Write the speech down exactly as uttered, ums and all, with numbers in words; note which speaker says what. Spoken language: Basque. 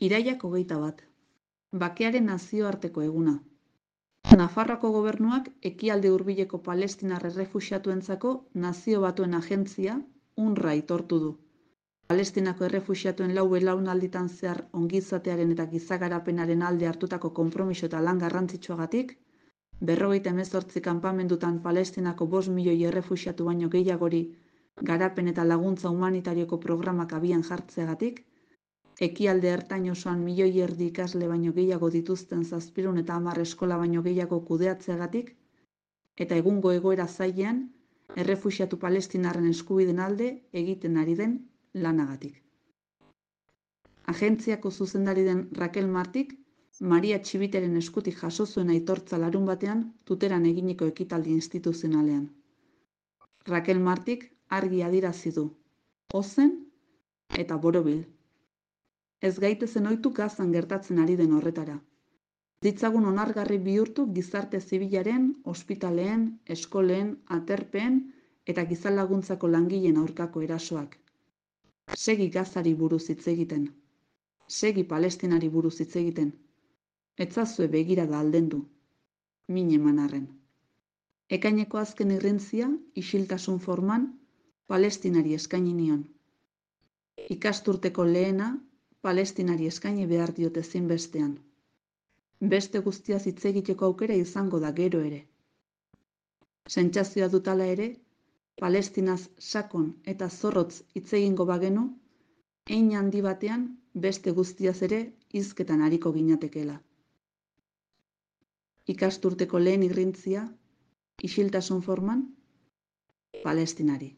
Speaker 1: Irailak hogeita bat. Bakearen nazioarteko eguna. Nafarroako gobernuak ekialde hurbileko palestinar errefuxiatuentzako Nazio Batuen Agentzia, UNRWA aitortu du. Palestinako errefuxiatuen lau belaunalditan zehar ongizatearen eta gizagarapenaren alde hartutako konpromiso eta lan garrantzitsuagatik, berrogeita hemezortzi kanpamendutan Palestinako bost milioi errefuxiatu baino gehiagori garapen eta laguntza humanitarioko programak abian jartzeagatik, ekialde ertain osoan milioi erdi ikasle baino gehiago dituzten zazpiehun eta hamar eskola baino gehiago kudeatzeagatik, eta egungo egoera zailean, errefuxiatu palestinarren eskubideen alde egiten ari den lanagatik. Agentziako zuzendari den Raquel Martik, Maria Txibiteren eskutik jaso zuen aitortza larun batean Tuteran eginiko ekitaldi instituzionalean. Raquel Martik argi adierazi du, ozen eta borobil. Ez gaitezen ohitu Gazan gertatzen ari den horretara. Ditzagun onargarri bihurtu gizarte zibilaren, ospitaleen, eskoleen, aterpeen eta gizalaguntzako langileen aurkako erasoak. Segi Gazari buruz hitz egiten. Segi Palestinari buruz hitz egiten. Etzazue begirada aldendu. Min eman arren. Ekaineko azken irrintzia, isiltasun forman, Palestinari eskaini nion. Ikasturteko lehena, Palestinari eskaini behar diote ezinbestean. Beste guztiaz hitz egiteko aukera izango da gero ere. Sentsazioa dut hala ere, Palestinaz sakon eta zorrotz hitz egingo bagenu, hein handi batean beste guztiaz ere hizketan ariko ginatekeela. Ikasturteko lehen irrintzia, isiltasun forman, Palestinari.